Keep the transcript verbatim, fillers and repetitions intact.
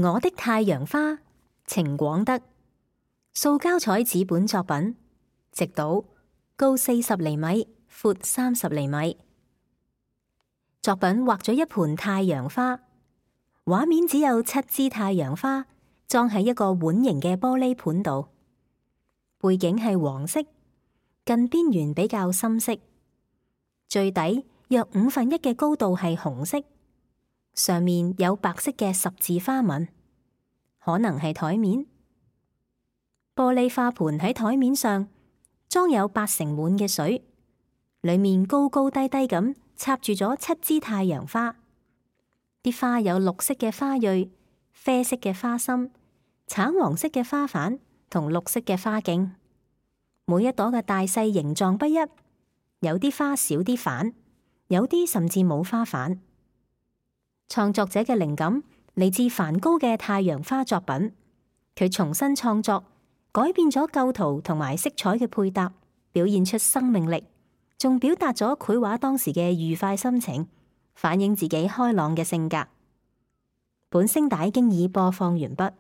我的太陽花，程廣德，塑膠彩紙本作品，直倒，高四十厘米，闊三十厘米。作品畫咗一盆太陽花，畫面只有七支太陽花裝喺一個碗形嘅玻璃盤度，背景係黃色，近邊緣比較深色，最底約五分一嘅高度係紅色。上面有白色嘅十字花紋，可能係台面。玻璃花盆喺台面上裝有八成滿嘅水，裏面高高低低咁插住咗七支太陽花。啲花有綠色嘅花蕊、啡色嘅花心、橙黃色嘅花瓣同綠色嘅花莖。每一朵嘅大細形狀不一，有啲花少啲瓣，有啲甚至冇花瓣。創作者嘅靈感嚟自梵高嘅太陽花作品，佢重新創作，改變咗構圖同埋色彩嘅配搭，表現出生命力，仲表達咗繪畫當時嘅愉快心情，反映自己開朗嘅性格。本聲帶經已播放完畢。